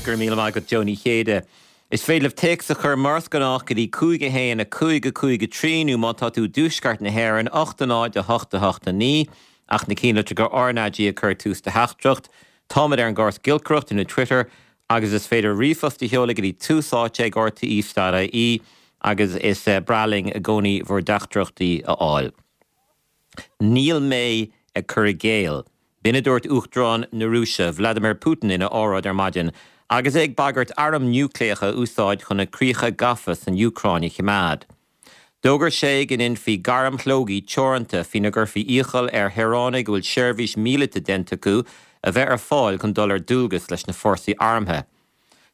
Go raibh míle maith agat Joe Ní Chéide. Is féidir libh téacs a chur mar is gnách go dtí 5 1 5 5 3 nó má tá tú i dtuaisceart na hÉireann 8 0 8 8 9 ach na cinnlitreacha RnaG ag cur tús do theachtaireacht. Táimid ar an gcóras giolcaireachta nó Twitter agus is féidir ríomhphost a sheoladh go dtí tús áite ag rte.ie agus is breá linn i gcónaí bhur dteachtaireachtaí a fháil. Níl mé ag cur i gcéill. B'in a dúirt Uachtarán na Rúise, Vladimir Putin ina óráid ar maidin agus é ag bagairt arm núicléach a úsáid chun na críocha gafa san Úcráin a choimeád. D'fhógair sé go ndéanfaí gairm shlógaidh teoranta faoina gcuirfí iachall ar shaoránaigh a bhfuil seirbhís mhíleata déanta acu a bheith ar fáil chun dul ar dualgas leis na fórsaí armtha.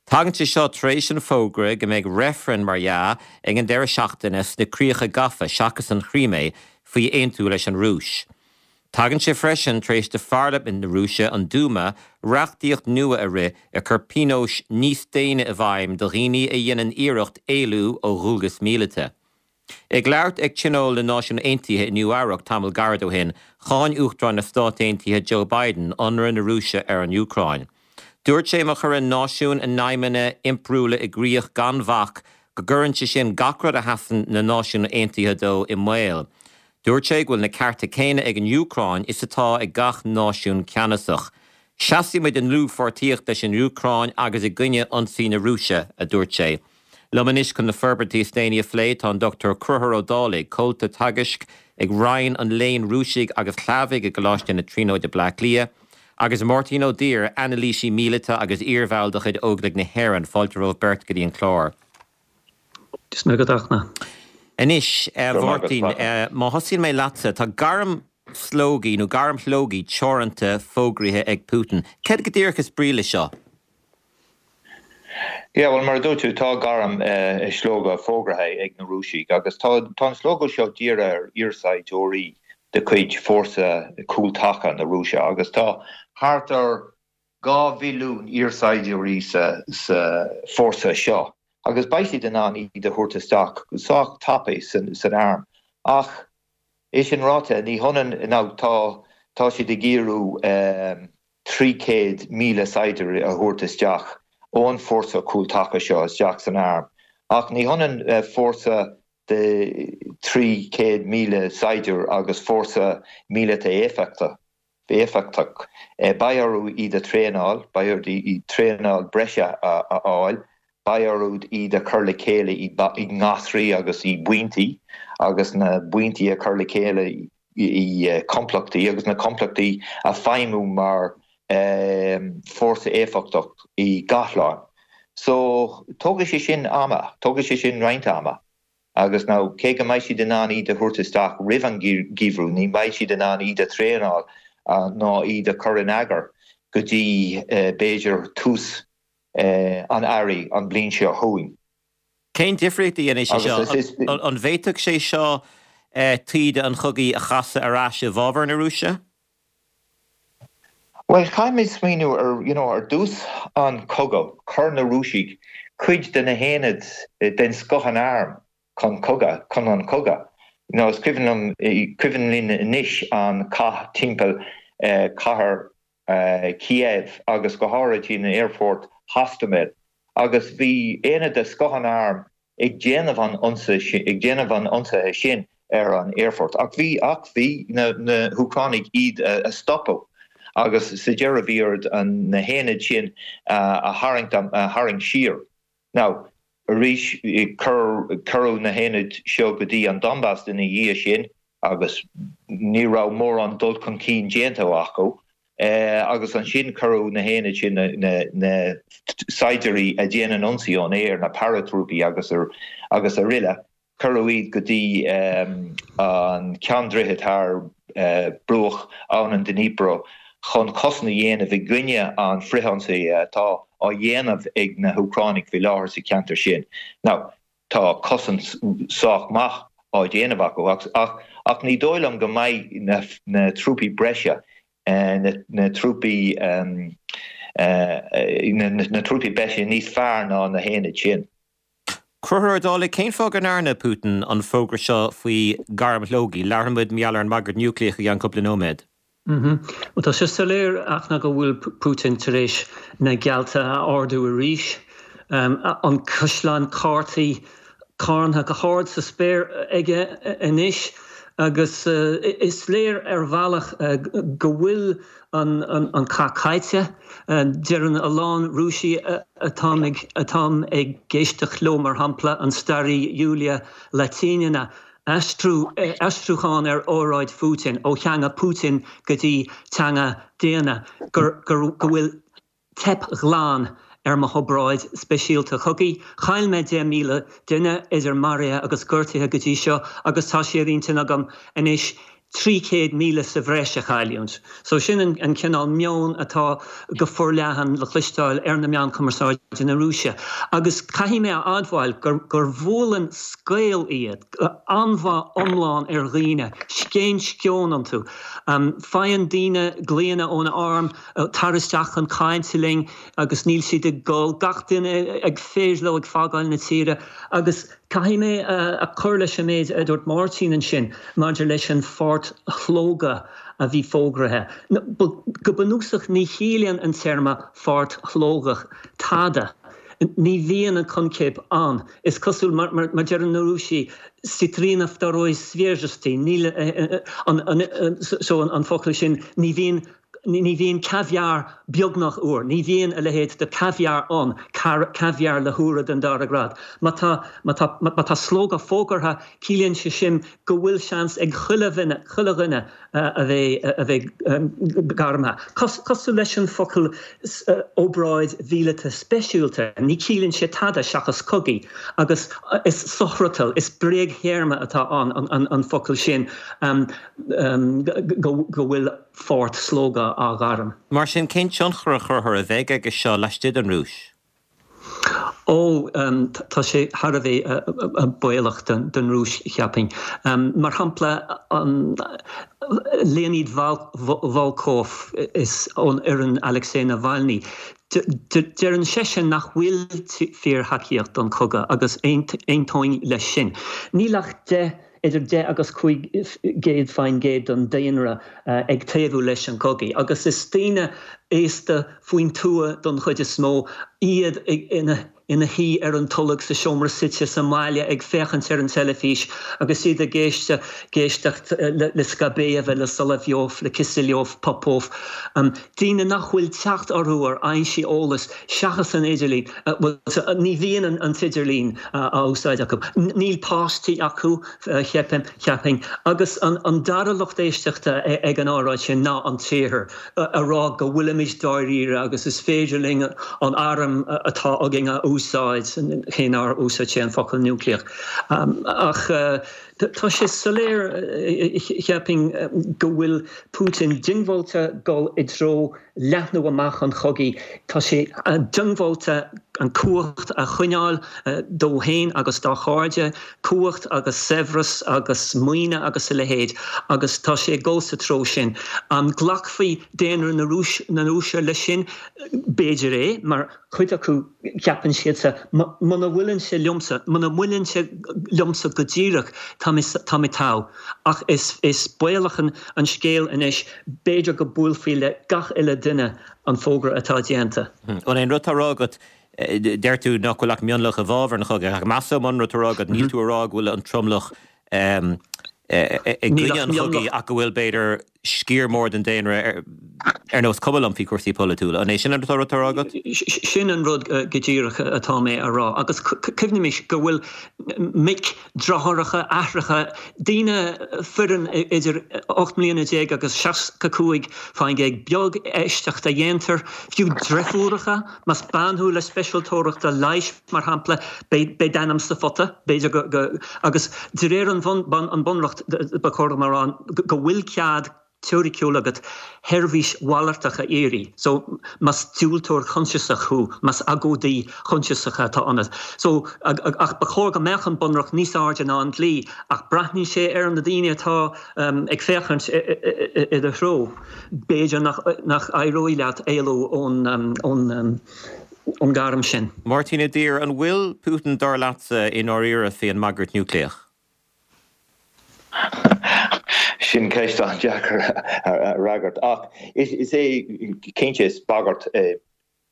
Tagann sé seo tar éis an fógra go mbeidh reifreann, mar dhea, ag an deireadh seachtaine sna críocha gafa, seachas an Chrímé, faoi aontú leis an Rúis. Tagann sé freisin tar éis do pharlaimint na Rúise, an Dúma, reachtaíocht nua a rith ag cur pionóis níos déine i bhfeidhm do dhaoine a dhéanann iarracht éalú ó dhualgas míleata. Ag labhairt ag Tionól na Náisiún Aontaithe i Nua Eabhrac tamall gairid ó shin, cháin Uachtarán na Stát Aontaithe Joe Biden ionradh na Rúise ar an Úcráin. Dúirt sé má chuireann náisiúin a n-aidhmeanna impiriúla i gcrích gan bhac go gcuireann sé sin gach rud a sheasann na Náisiúin Aontaithe dó i mbaol. Dúirt sé go bhfuil na cearta céanna ag an Úcráin is atá ag gach náisiún ceannasach. Seasfaidh muid i ndlúthpháirtíocht leis an Úcráin agus i gcoinne ionsaí na Rúise, a dúirt sé. Liom anois chun na forbairtí is déanaí a phlé tá an Dr Conchúr Ó Dálaigh, Comhalta Teagaisc ag Roinn an Léinn Rúisigh agus Shlavaigh i gColáiste na Tríonóide Bleá Cliath, agus Máirtín Ó Duibhir, anailísí míleata agus iarbhall de chuid Óglaigh na hÉireann. Fáilte romhaibh beirt go dtí an clár. Dia is Muire agat a Fhachtna. Anois, a Mháirtín, má thosaíonn mé leatsa, tá gairm slógaidh nó gairm shlógaidh teoranta fógraithe ag Putin. Céard go díreach is brí leis seo? Yeah, bhuel, mar a dúirt tú, tá gairm slógadh fógraithe ag na Rúisigh agus tá an slógadh seo dírithe ar iarsaighdiúirí de chuid fórsa cúltaca na Rúise agus tá thart ar 2 mhilliún iarsaighdiúirí sa fórsa seo agus beidh siad in ann iad a thabhairt isteach sách tapaidh san arm. Ach é sin ráite, ní hionann, now tá tá siad ag iarraidh 300,000 saighdiúir a thabhairt isteach ón bhfórsa cúltaca seo isteach san arm. Ach ní hionann fórsa de 300,000 saighdiúir agus fórsa míleata éifeachtach. Beidh orthu iad a thraenáil, beidh orthu iad traenáil breise a fháil, beidh orthu iad a chur le chéile i ngasraí agus i bpointí agus na pointí a chur le chéile i complachtaí agus na complachtaí a feidhmiú mar fórsa éifeachtach i gcathlán. So, tógfaidh sé sin ama, tógfaidh sé sin roinnt ama. Agus now, cé go mbeidh siad in ann iad a thabhairt isteach roimh an gheimhreadh, ní bheidh siad in ann iad a thraenáil ná iad a chur in eagar go dtí b'fhéidir tús an earraigh an bhliain seo chugainn. Cén difríocht a dhéanfaidh sé seo? An bhféadfadh sé seo taoide an chogaidh a chasadh ar ais i bhfabhar na Rúise? Bhuel, caithfimid smaoineamh ar, you know, ar dtús an chogaidh, chuir na Rúisigh cuid de na haonaid den scoth an airm chun cogadh, chun an chogaidh. You know, is cuimhin liom, cuimhin linn anois an cath timpeall cathair Kiev agus go háirithe an aerfort Hostomel agus bhí aonad de scoth an airm ag déanamh an ionsaí ag déanamh an ionsaithe sin ar an aerfort ach bhí ach bhí na na hÚcránaigh iad a stopadh agus sa deireadh bhí orthu na haonaid sin a tharraingt a tharraingt siar. Now, arís, cuireadh na haonaid seo go dtí an Donbas ina dhiaidh sin agus ní raibh mórán dul chun cinn déanta acu. Agus ansin cuireadh na haonaid sin, na saighdiúirí a dhéanann ionsaí ón aer, na paratrúpaí agus araile, Cuireadh iad go dtí an ceann-droichead thar bruach abhainn an Dnipro chun cosaint a dhéanamh i gcoinne an frithionsaí atá á dhéanamh ag na hÚcránaigh faoi láthair sa cheantar sin. Now, tá cosaint sách maith á déanamh acu ach ach ní dóigh liom go mbeidh na trúpaí breise, na trúpaí na trúpaí breise níos fearr ná na haonaid sin. Conchúr Ó Dálaigh, cén fáth go ndearna Putin an fógra seo faoi gairm shlógaidh? Labharfaidh muid mar gheall ar an mbagairt núicléach i gceann cúpla nóiméad. Bhuel, tá sé soiléir Fhachtna go bhfuil Putin tar éis na geallta a ardú arís. An caisleán cártaí carntha go hard sa spéir aige anois agus is léir ar bhealach go bhfuil an cath caillte. Deireann a lán Rúisigh atáim ag éisteacht leo, mar shampla an staraí Yulia Latynina, Aistriú, aistriúchán ar óráid Phutin ó theanga Putin go dtí teanga daonna, gur, gur, go bhfuil teip ghlan ar mo hobráid speisialta chogaidh. Chaill mé 10,000 duine, idir maraithe agus gortaithe go dtí seo, agus tá sé ar intinn agam anois 300,000 sa bhreis a chailliúint. So sin an cineál meoin atá go forleathan le cloisteáil ar na meáin chumarsáide na Rúise. Agus caithfidh mé a admháil gur gur bhuaileann scaoll iad, anbhá iomlán ar dhaoine, scéin sceoin iontu. Faigheann daoine glaonna ón arm, tar isteach chun cainte linn agus níl siad ag gol, gach duine ag féidir leo ag fágáil na tíre agus Caithfidh mé a chur leis an méid a dúirt Máirtín ansin maidir leis an pháirt-shlógadh a bhí fógraithe. Go bunúsach ní chiallaíonn an téarma pháirt-shlógadh tada. Ní bhíonn an coincheap ann. Is cosúil, mar a deireann na Rúisigh, ositrina vtoroi svezhesti, níl so an focal sin, ní bhíonn Ní bhíonn caviar beagnach úr. Ní bhíonn a leithéid de caviar ann, caviar le húire den dara grád. Má tá, má tá, má tá slógadh fógartha, ciallaíonn sé sin go bhfuil seans ag chuile dhuine, chuile dhuine a bheith, a bheith gairmthe. Cosúil leis an focal obráid mhíleata speisialta, ní chiallaíonn sé tada seachas cogaí. Agus is sofhriotal, is bréagthéarma atá ann, an focal sin, go bhfuil. pháirt-shlógadh á ghairm. Mar sin, cén tionchar a chuirfear a bheidh aige seo laistigh den Rúis? Ó, tá sé thar a bheith baolach don Rúis, cheapfainn. Mar shampla, Leonid Volkov is ón fhoireann Alexei Navalny, deireann seisean nach bhfuil fíorthacaíocht don chogadh agus aontóinn leis sin. Níl ach 10 idir 10 agus 5% den daonra ag taobhú leis an gcogaidh agus is daoine aosta faoin tuath don chuid is mó iad ina ina shuí ar an tolg sa seomra suite sa mbaile ag féachaint ar an teilifís agus iad ag éisteacht le Skabeyeva, le Solovyov, le Kiselyov, Popov. Daoine nach bhfuil teacht orthu ar fhoinsí eolais seachas an idirlíon. Bhuel, ní bhíonn an t-idirlíon á úsáid acu. Níl páistí acu, cheapfainn. Agus an dara lucht éisteachta ag an óráid sin ná an tIarthar, a rá go bhfuilimid dáiríre agus is féidir linn an arm atá againn a úsáid, cé nár úsáid sé an focal núicléach. Ach tá sé soiléir, cheapfainn, go bhfuil Putin diongbháilte dul i dtreo leathnú amach an chogaidh. Tá sé diongbháilte an cumhacht a choinneáil dó féin agus dá chairde, cumhacht agus saibhreas agus maoine agus a leithéid, agus tá sé ag dul sa treo sin. An nglacfaidh daonra na Rúise leis sin? B'fhéidir é, mar cuid acu ceapann siadsa, muna bhaineann sé liomsa, muna mbaineann sé liomsa go díreach, tá mé, tá mé togha. Ach is, is baolach an, an scéal anois, b'fhéidir go buailfí le gach uile duine an fógra atá déanta. An é an rud atá á rá agat, deir tú nach bhfuil ach mionlach i bhfabhar an chogaidh, ach measaim an rud atá á rá agat, níl tú ag rá go bhfuil an tromlach i gcoinne an chogaidh ach go bhfuil, b'fhéidir, sciar mór den daonra ar nós cuma liom faoi chúrsaí polaitiúla. An é sin an rud atá á rá agat? Sin an rud go díreach atá mé a rá. Agus cuimhnímis go bhfuil mic, deartháireacha, aithreacha, daoine, foireann idir 18 mbliana agus 65 faoin gcéad, beag éisteacht a dhéantar, fiú deirfiúracha, más bean thú le speisialtóireacht leighis, Mar shampla, beidh d'ainm sa phota, b'fhéidir go, agus de réir an Bunreacht, ba chóir dom a rá, go bhfuil cead teoiriciúil agat sheirbhís mhalartach a iarraidh. So, más diúltóir coinsiasach thú, más agóidí coinsiasach atá ionat. So, ach ba chóir go mbeadh an Bunreacht níos airde ná an dlí, ach breathnaíonn sé ar na daoine atá ag féachaint i do threo. B'fhéidir nach éireoidh leat éalú ón. ón ngairm sin. Máirtín Ó Duibhir, an bhfuil Putin, dar leatsa, i ndáiríre faoin mbagairt núicléach? Sin ceist an-deacair a fhreagairt ach is é cinnte is bagairt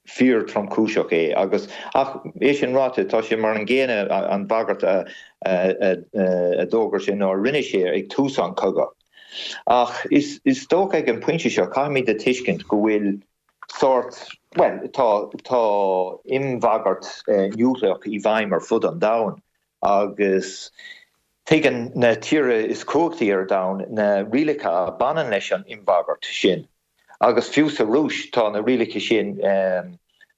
fíor tromchúiseach é agus ach é sin ráite tá sé mar an gcéanna an bhagairt a d'fhógair sé nó a rinne sé ag tús an chogaidh. Ach is dócha ag an bpointe seo caithfimid a tuiscint go bhfuil sórt, bhuel tá tá imbhagairt núicléach i bhfeidhm ar fud an domhain agus tuigeann na tíortha is cumhachtaí ar domhan na rialacha a bhaineann leis an imbhagairt sin. Agus fiú sa Rúis tá na rialacha sin,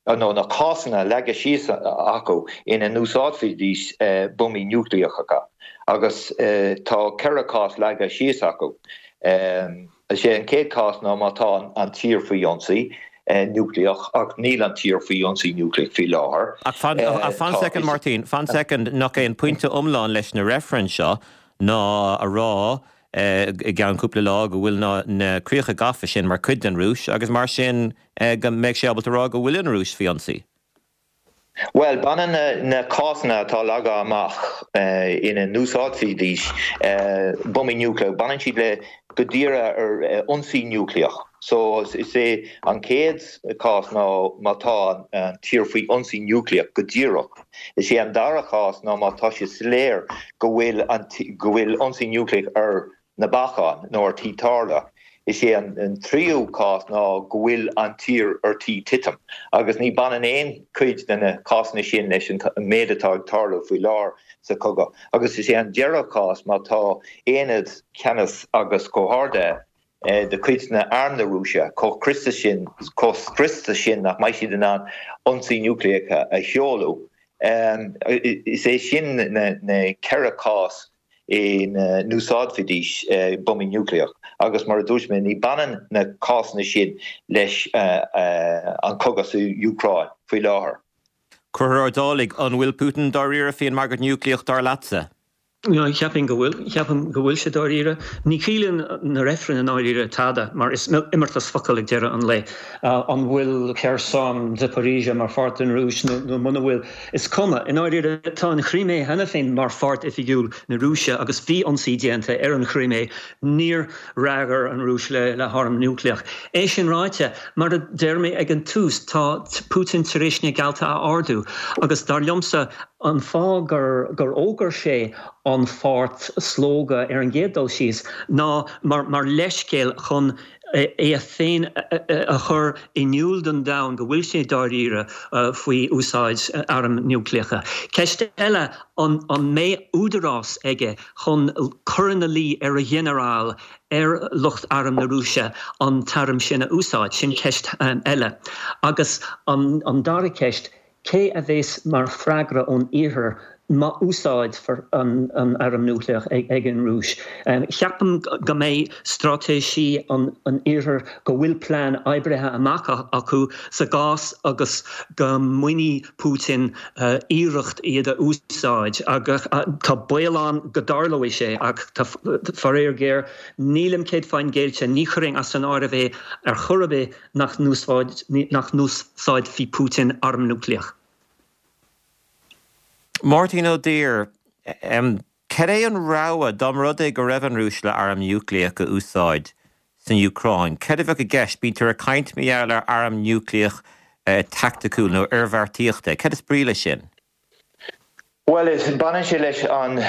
nó na cásanna leagtha síos acu ina n-úsáidfidís buamaí núicléacha. Agus tá 4 chás leagtha síos acu. Is é an chéad chás ná má tá an tír faoi ionsaí núicléach, ach níl an tír faoi ionsaí núicléach faoi láthair. Ach fan, fan soicind Máirtín, fan soicind, nach é an pointe iomlán leis na reifrinn seo ná a rá i gceann cúpla lá go bhfuil na críocha gafa sin mar chuid den Rúis agus mar sin go mbeidh sé ábalta a rá go bhfuil an Rúis faoi ionsaí. Bhuel, baineann na cásanna atá leagtha amach ina n-úsáidfidís buamaí núicléach, baineann siad le go díreach ar ionsaí núicléach. So, is é an chéad chás ná má tá an tír faoi ionsaí núicléach go díreach. Is é an dara chás ná má tá sé soiléir go bhfuil go bhfuil ionsaí núicléach ar na bacáin nó ar tí tarlú. Is é an tríú cás ná go bhfuil an tír ar tí titim, agus ní baineann aon chuid de na cásanna sin leis an méid atá ag tarlú faoi láthair sa chogadh. Agus is é an deireadh cás má tá aonad ceannais agus comhordaithe de chuid na arm na Rúise chomh scriosta sin, chomh scriosta sin nach mbeidh siad in ann ionsaí núicléach a sheoladh. Is é sin na 4 chás ina n-úsáidfidís buamaí núicléach agus mar a dúirt mé ní baineann na cásanna sin leis an cogadh sa Úcráin faoi láthair. Conchúr Ó Dálaigh, an bhfuil Putin dáiríre faoin mbagairt núicléach dar leatsa? Cheapfainn go bhfuil. Ceapaim go bhfuil sé dáiríre. Ní chiallaíonn na reifrinn i ndáiríre tada mar is imeartas focal ag deireadh an lae. An bhfuil Kherson, Zaporizhzhia mar pháirt den Rúis nó muna bhfuil, Is cuma. I ndáiríre, tá an Chrimé cheana féin mar pháirt oifigiúil na Rúise agus bhí ionsaí déanta ar an Chrimé. Níor fhreagair an Rúis le harm núicléach. É sin ráite, mar a deir mé ag an tús, tá Putin tar éis na geallta a ardú agus dar liomsa, an fáth gur fhógair sé an pháirt slógadh ar an gcéad dul síos ná mar leithscéal chun é féin a chur in iúl don domhan go bhfuil sé dáiríre faoi úsáid airm núicléacha. Ceist eile, an mbeidh údarás aige chun cur ina luí ar a ghinearáil, ar lucht arm na Rúise an t-arm sin a úsáid? Sin ceist eile. Agus an dara ceist, Cé a bheas mar freagra ón Iarthar má úsáidfear an arm núicléach ag an Rúis? Ceapaim go mbeidh straitéisí an Iarthair, go bhfuil plean oibrithe amach acu sa gcás agus go mbainfidh Putin iarracht iad a úsáid. Agus tá baol ann go dtarlóidh sé ach tá faraor géar, nílim 100% géillte, ní chuirfinn as an áireamh é ar chor ar bith. nach n-úsáidfidh Putin arm núicléach. Máirtín Ó Duibhir, Cad é an rogha, dá mba rud é go raibh an Rúis le arm núicléach a úsáid san Úcráin? Cad a bheadh i gceist? Bítear ag caint mar gheall ar arm núicléach taicticiúil nó oirbheartaíochta. Cad is brí leis sin? Bhuel, baineann sé leis an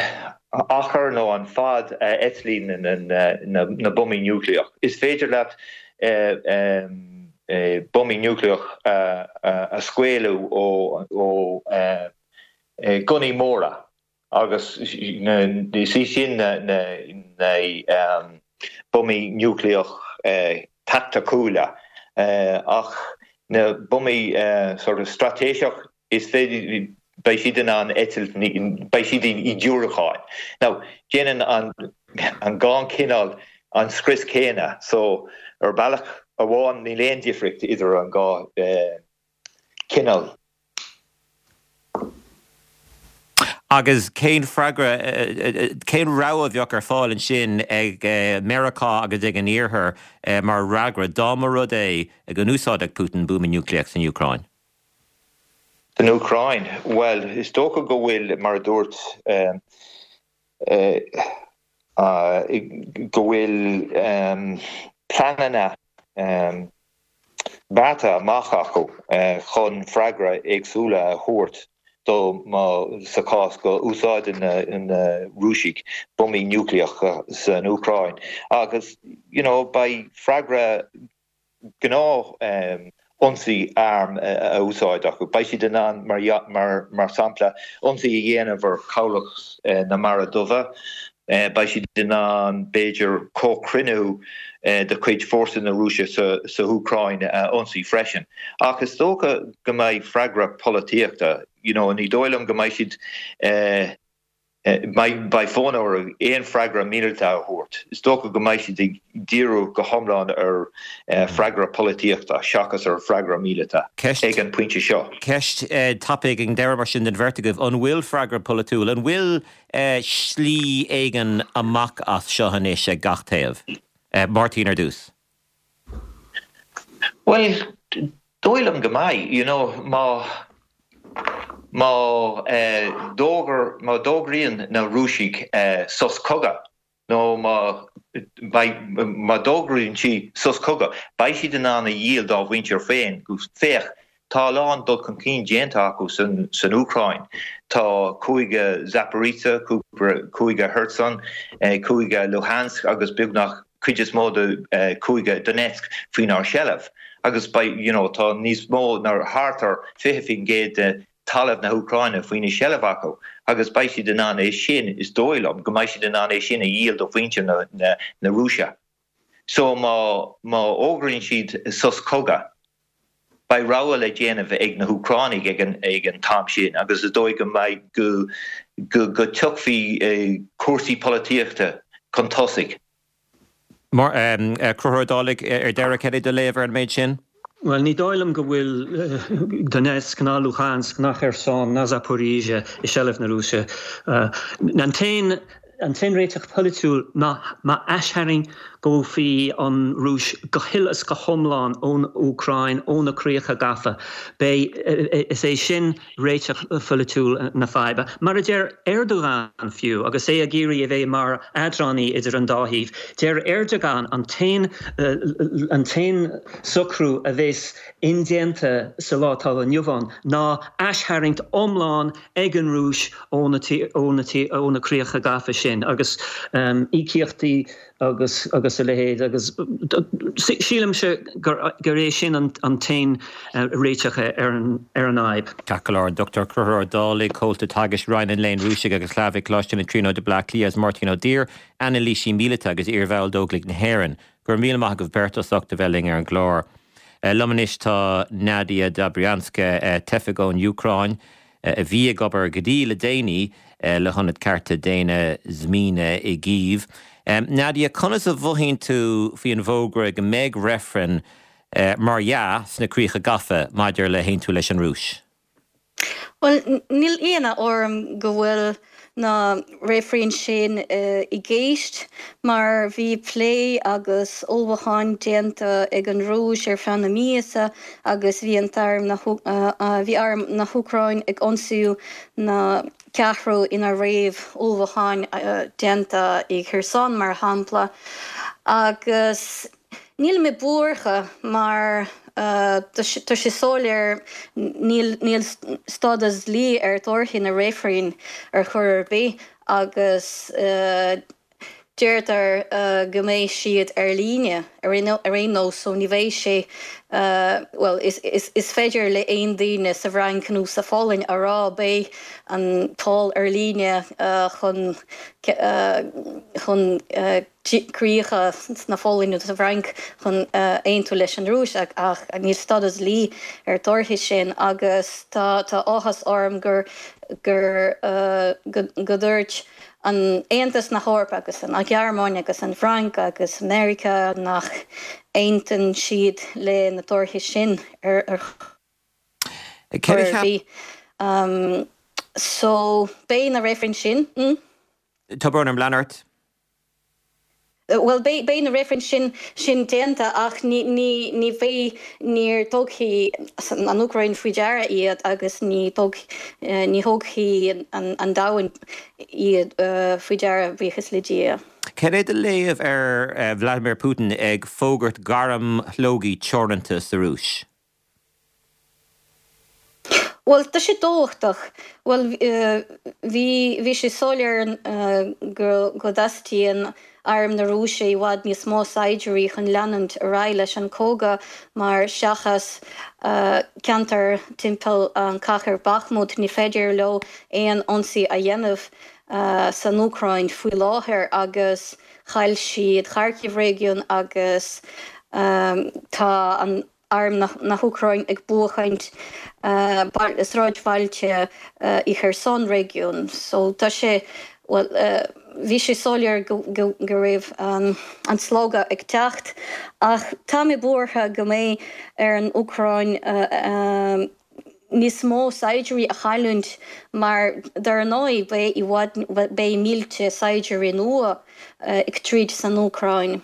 achar nó an fad a eitlíonn na buamaí núicléach. Is féidir leat buamaí núicléach a scaoileadh ó ghunnaí móra agus is í sin na buamaí núicléach taicticiúla ach na buamaí sort of straitéiseach Is féidir, beidh siad in ann eitilt, beidh siad i ndiúracáin. Now, déanann an an dhá chineál an scrios céanna, so ar bealach amháin níl aon difríocht idir an dhá chineál. Agus cén freagra, cén rogha a bheadh ar fáil ansin ag Meiriceá agus ag an Iarthar mar fhreagra dá mba rud é go n-úsáidfeadh Putin buama núicléach san Úcráin? San Úcráin? Bhuel, is dócha go bhfuil, mar a dúirt. Go bhfuil pleananna beartaithe amach acu chun freagra éagsúla a thabhairt dó má sa chás go úsáideann na Rúisigh buamaí núicléacha san Úcráin agus you know beidh freagra gnáth ionsaí arm a úsáid acu. Beidh siad in ann, mar shampla, ionsaí a dhéanamh ar chabhlach na Mara Duibhe. Beidh siad in ann, b'fhéidir, comhchruinniú de chuid fórsa na Rúise sa hÚcráin a ionsaí freisin. Ach is dócha go mbeidh freagra polaitíochta, you know, ní dóigh liom go mbeidh siad. Beidh fonn orthu aon freagra míleata a thabhairt. Is dócha go mbeidh siad ag díriú go hiomlán ar freagra polaitíochta seachas ar freagra míleata ag an pointe seo. Ceist tapaidh ag an deireadh mar sin don bheirt agaibh, an bhfuil freagra polaitiúil, an bhfuil slí éigin amach as seo anois ag gach taobh? Máirtín ar dtús. Bhuel, dóigh liom go mbeidh. You know, má, má d'fhógair, má d'fhógraíonn na Rúisigh sos cogaidh, nó má, beidh, má d'fhógraíonn siad sos cogaidh, beidh siad in ann a dhíol dá mhuintir féin go, féach, tá a lán dul chun cinn déanta acu san, san Úcráin. Tá cúige Zaporizhzhia, cúige Kherson, cúige Luhansk agus beagnach cuid is mó de cúige Donetsk faoinár seilbh agus beidh, you know, tá níos mó ná thart ar 20% de talamh na hÚcráine faoina seilbh acu agus beidh siad in ann é sin, is dóigh liom go mbeidh siad in ann é sin a dhíol do mhuintir na, na, na Rúise. So má, má fhógraíonn siad sos cogaidh, beidh rogha le déanamh ag na hÚcránaigh ag an, ag an t-am sin agus is dóigh go mbeidh, go, go, go tiocfaidh cúrsaí polaitíochta chun tosaigh. Mar, Conchúr Ó Dálaigh, ar deireadh, cad é do léamh ar an méid sin? Bhuel, ní dóigh liom go bhfuil Donetsk ná Luhansk ná Kherson ná Zaporizhzhia i seilbh na Rúise. An t-aon an t-aon réiteach polaitiúil ná má aistharraingeofaí an Rúis go huile is go hiomlán ón Úcráin, ó na críocha gafa. Beidh, is é sin réiteach pholaitiúil na faidhbe. Mar a deir Erdogan fiú, agus é ag iarraidh a bheith mar eadránaí idir an dá thaobh, deir Erdogan an t-aon an t-aon socrú a bheas indéanta sa lá atá inniu ann ná aistharraingt iomlán ag an Rúis ó na ó na críocha gafa sin agus íocaíochtaí agus agus a leithéid agus sílimse gur gur é sin an an t-aon réiteach ar an ar an fhadhb. Ceart go leor, an Dr Conchúr Ó Dálaigh, Comhalta Teagaisc, Roinn an Léinn Rúisigh agus Shlavach, Coláiste na Tríonóide, Baile Átha Cliath agus Máirtín Ó Duibhir, anailísí míleata agus iarbhall d'Óglaigh na hÉireann. Go raibh míle maith agaibh beirt as ucht a bheith linn ar an gclár. Liom anois tá Nadia Dobrianska, teifeach ón Úcráin, a bhí ag obair go dtí le déanaí le hIonad Cearta Daonna Zmina i gCív. Nadia, conas a mhothaíonn tú faoi an bhfógra go mbeidh reifreann, mar dhea, sna críocha gafa maidir le haontú leis an Rúis? Bhuel, níl ionadh orm go bhfuil na reifrinn sin i gceist mar bhí plé agus ullmhúcháin déanta ag an Rúis ar feadh na míosa agus bhí an t-arm na bhí arm na hÚcráin ag ionsaí na ceathrú ina raibh ullmhúcháin déanta i Kherson mar shampla agus Níl mé buartha mar tá sé soiléir níl níl stádas dlí ar torthaí na reifrinn ar chor ar bith agus deirtear go mbeidh siad ar líne ar aon nós so ní bheidh sé bhuel is féidir le aon duine sa bhFrainc nó sa Pholainn a rá beidh an poll ar líne chun chun críocha sna Pholainn nó sa bhFrainc chun aontú leis an Rúis ach níl stádas dlí ar torthaí sin agus tá áthas orm gur gur go dúirt an Aontas na hEorpa agus an Ghearmáin agus an Fhrainc agus Meiriceá nach aontaíonn siad le na torthaí sin ar chor ar bith. So beidh na reifrinn sin. Tá brón orm, lean ort. Bhuel, beidh na reifrinn sin sin déanta ach ní ní ní bheidh, níor tógfaidh an Úcráin faoi deara iad agus ní tóg ní thógfaidh an an domhan iad faoi deara, buíochas le Dia. Cad é do léamh ar Vladimir Putin ag fógairt gairm shlógaidh teoranta sa Rúis? Bhuel, tá sé tábhachtach. Bhuel, bhí, bhí sé soiléir go, go dteastaíonn Arm na Rúise i bhfad níos mó saighdiúirí chun leanúint ar aghaidh leis an cogadh mar seachas ceantar timpeall an cathair Bakhmut ní féidir leo aon ionsaí a dhéanamh san Úcráin faoi láthair agus chaill siad Kharkiv réigiún agus tá an Arm na hÚcráin ag buachaint sráidbhailte i Kherson réigiún. So tá sé, bhuel, bhí sé soiléir go raibh an slógadh ag teacht ach tá mé buartha go mbeidh ar an Úcráin níos mó saighdiúirí a chailliúint mar dar ndóigh beidh i bhfad, beidh mílte saighdiúirí nua ag troid san Úcráin.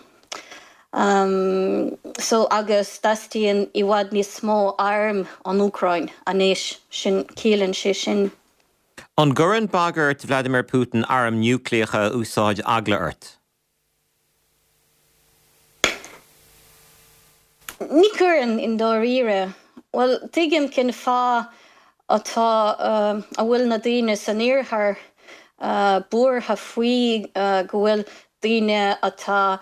So agus teastaíonn i bhfad níos mó airm ón Úcráin anois, sin, ciallaíonn sé sin. An gcuireann bagairt Vladimir Putin airm núicléacha a úsáid eagla ort? Ní chuireann, i ndáiríre. Bhuel, tuigim cén fáth atá, a bhfuil na daoine san iarthar buartha faoi go bhfuil daoine atá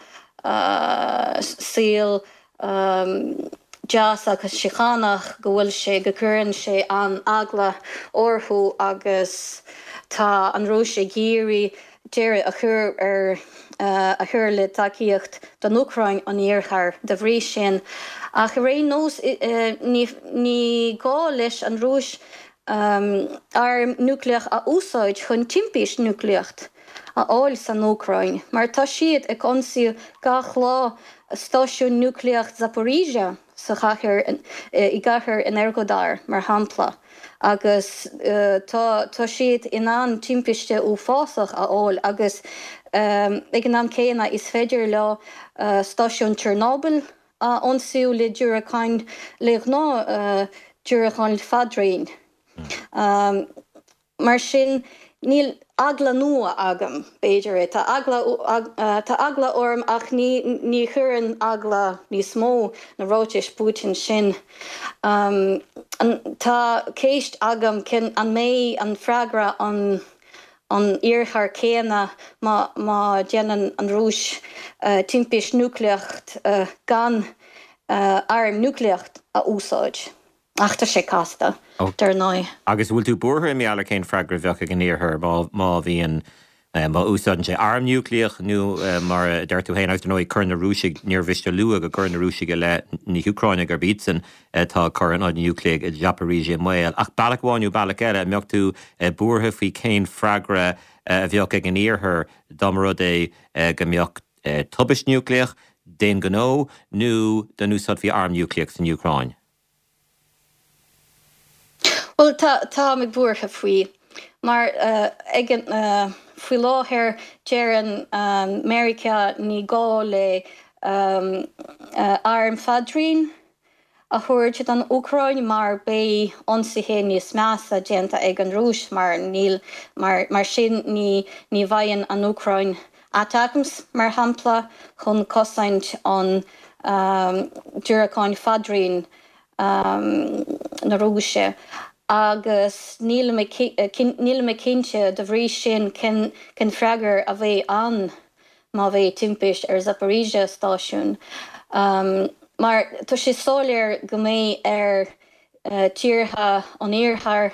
saol deas agus síochánach, go bhfuil sé, go gcuireann sé an-eagla orthu agus tá an Rúis ag iarraidh deireadh a chur ar, a chur le tacaíocht don Úcráin ón Iarthar dá bhrí sin. Ach ar aon nós, ní, ní gá leis an Rúis arm núicléach a úsáid chun timpiste núicléach a fháil san Úcráin, mar tá siad ag ionsaí gach lá stáisiún núicléach Zaporizhzhia sa chathair, i gcathair Energodar, mar shampla, agus tá tá siad in ann timpiste uafásach a fháil agus ag an am céanna is féidir leo stáisiún Chernobyl a ionsaí le diúracáin, le gnáth diúracáin fadraoin. Mar sin, níl eagla nua agam, b'fhéidir é. Tá eagla, tá eagla orm ach ní, ní chuireann eagla níos mó na ráitis Putin sin. Tá ceist agam cén, an mbeidh an freagra an, an Iarthar céanna má, má déanann an Rúis timpiste núicléach gan arm núicléach a úsáid? Ach tá sé casta, dar ndóigh. Agus an bhfuil tú buartha i ngeall ar cén freagra a bheadh ag an Iarthar má bhíonn, má úsáideann sé arm núicléach nó mar a deir tú féin, agus dar ndóigh cuireann na Rúisigh, níor mhiste a lua go gcuireann na Rúisigh i leith na hÚcráine gurb iadsan atá ag cur an ionad núicléach i Zaporizhzhia i mbaol. Ach bealach amháin nó bealach eile, an mbeadh tú buartha faoi cén freagra a bheadh ag an Iarthar dá mba rud é go mbeadh tubaist núicléach d'aon ghnó nó dá n-úsáidfí arm núicléach san Úcráin? Bhuel, tá, tá mé buartha faoi. Mar ag an, faoi láthair deireann Meiriceá ní gá le airm fadraoin a thabhairt don Úcráin mar beidh ionsaithe níos measa déanta ag an Rúis mar níl, mar, mar sin ní, ní bhfaigheann an Úcráin ATACMS, mar shampla, chun cosaint an diúracáin fadraoin na Rúise agus níl mé níl mé cinnte de bhrí sin cén cén freagra a bheidh ann má bheidh timpiste ar Zaporizhzhia stáisiún mar tá sé soiléir go mbeidh ar tíortha an Iarthair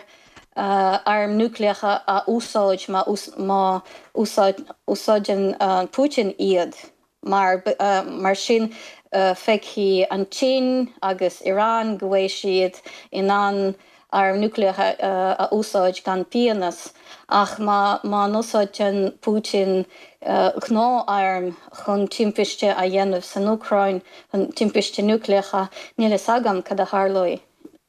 airm núicléacha a úsáid má má úsáideann Putin iad. Mar mar sin feicfidh an tSín agus Iran go bhfuil siad in ann airm núicléacha a úsáid gan pionós. Ach má má n-úsáideann Putin gnáth-airm chun timpiste a dhéanamh san Úcráin, chun timpiste núicléacha, níl fhios agam cad a tharlóidh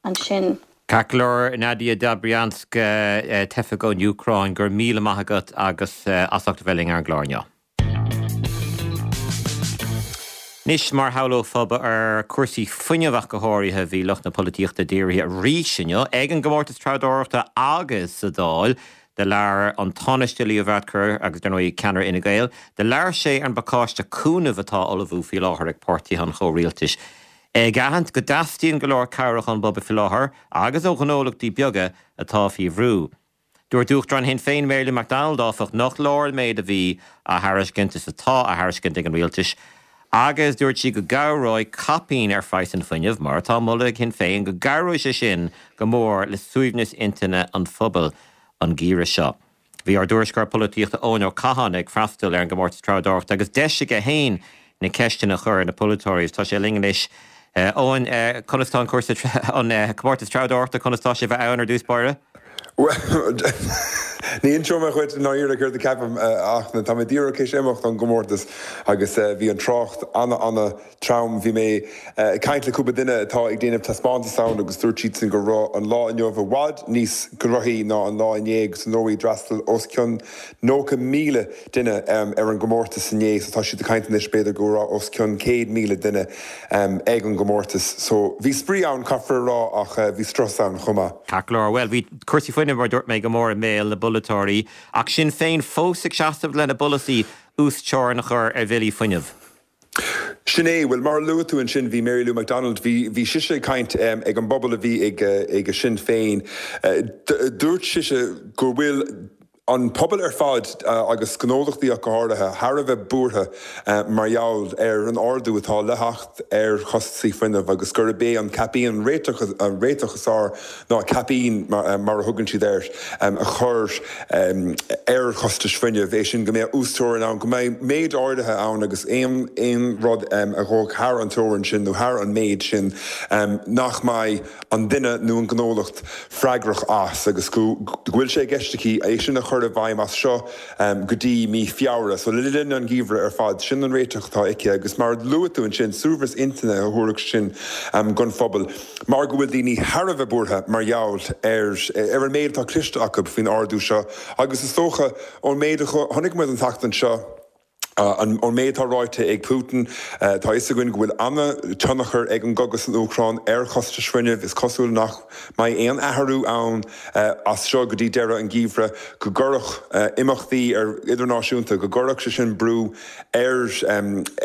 ansin. Ceart go leor, Nadia Dobrianska, teifeach ón Úcráin, go raibh míle maith agat agus as ucht a bheith linn ar an gclár inniu. Anois, mar shamhlófá, ba ar chúrsaí fuinnimh ach go háirithe a bhí lucht na polaitíochta dírithe arís inniu ag an gcomórtas treabhdóireachta agus sa Dáil. Do labhair an Tánaiste Leo Varadkar agus dar ndóigh ceannaire Fhine Gael, do labhair sé ar an bpacáiste cúnaimh atá á ullmhú faoi láthair ag páirtithe an chomhrialtais. Ag aithint go dteastaíonn go leor cabhrach ón bpobal faoi láthair agus ó ghnólachtaí beaga atá faoi bhrú. Dúirt Uachtarán Shinn Féin Mary Lou McDonald, áfach, nach leor an méid a bhí á thairiscint is atá á thairiscint ag an rialtas agus dúirt sí go gcabhróidh caipín ar phraghas an fuinnimh, mar atá á mholadh ag Sinn Féin, go gcabhróidh sé sin go mór le suaimhneas intinne an phobail an geimhreadh seo. Bhí ár dtuairisceoir polaitíochta Eoin Ó Catháin ag freastal ar an gcomórtas treabhdóireachta agus deis aige féin na ceisteanna a chur ar na polaiteoirí agus tá sé linn anois. Eoin, conas tá an cúrsa, an comórtas treabhdóireachta, conas tá sé a bheith ann ar dtús báire? Bhuel, ní inseoidh mé dhuit i ndáiríre céard a ceapaim ach tá mé díreach théis imeacht ón gcomórtas agus bhí an trácht ana-ana-trom. Bhí mé ag caint le cúpla duine atá ag déanamh taispeántas ann agus dúirt siadsan go raibh an lá inniu i bhfad níos gnóthaí ná an lá inné agus ar ndóigh d'fhreastail os cionn 90,000 duine ar an gcomórtas inné so tá siad ag caint anois b'fhéidir go raibh os cionn 100,000 duine ag an gcomórtas. So bhí spraoi ann caithfear a rá ach bhí strus ann chomh maith. Ceart go leor, bhuel bhí cúrsaí fuinnimh mar a dúirt mé go mór i mbéal na bpolaiteoirí ach Sinn Féin fós ag seasamh lena bpolasaí uasteorainn a chur ar bhillí fuinnimh. Sin é. Bhuel, mar a luaigh tú ansin, bhí Mary Lou McDonald, bhí, bhí sise ag caint ag an bpobal a bhí ag, ag Sinn Féin. Dúirt sise go bhfuil an pobal ar fad, agus gnólachtaí ach go háirithe, thar a bheith buartha mar gheall ar an ardú atá le theacht ar chostasaí fuinnimh agus gurb é an caipín an réiteach, an réiteach is fearr ná caipín, mar a thugann siad air, a chur ar chostais fuinnimh, é sin go mbeadh uasteorainn ann, go mbeidh méid áirithe ann agus aon rud a ghabhfadh thar an teorainn sin nó thar an méid sin nach mbeidh an duine nó an gnólacht freagrach as agus go bhfuil sé i gceist aici é sin a chur i bhfeidhm as seo go dtí mí Feabhra. So le linn an gheimhridh ar fad, sin an réiteach atá aici agus mar a luaigh tú ansin, suaimhneas intinne a thabharfadh sin don phobal. mar go bhfuil daoine thar a bheith buartha mar gheall ar ar an méid atá cloiste acu faoin ardú seo agus is dócha ón méid a chonaic muid an tseachtain seo, ón méid atá ráite ag Putin, tá a fhios againn go bhfuil an-tionchar ag an gcogadh san Úcráin ar chostais fuinnimh. Is cosúil nach mbeidh aon athrú ann as seo go dtí deireadh an gheimhridh, go gcuirfeadh imeachtaí idirnáisiúnta, go gcuirfeadh sé sin brú ar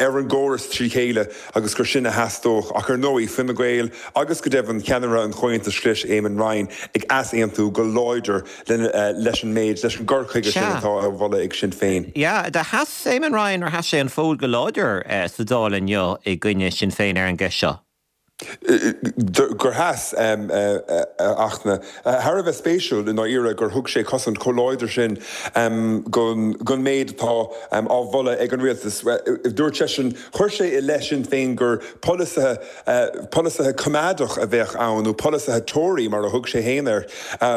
ar an gcóras trí chéile agus gur sin a theastódh. Ach ar ndóigh, Fine Gael agus go deimhin ceannaire an Chomhaontais Ghlais, Eamon Ryan, ag easaontú go láidir leis an méid, leis an gcur chuige sin atá á mholadh ag Sinn Féin. Sea, do sheas Eamon Ryan, ar sheas sé an fód go láidir sa Dáil inniu i gcoinne Sinn Féin ar an gceist seo? gur sheas, a Fhachtna. Thar a bheith spéisiúil, i ndáiríre, gur thug sé cosaint chomh láidir sin don méid atá á mholadh ag an rialtas. Dúirt seisean, chuir sé i leith Sinn Féin gur polasaithe, polasaithe coimeádach a bheadh ann, nó polasaithe Tory mar a thug sé féin air,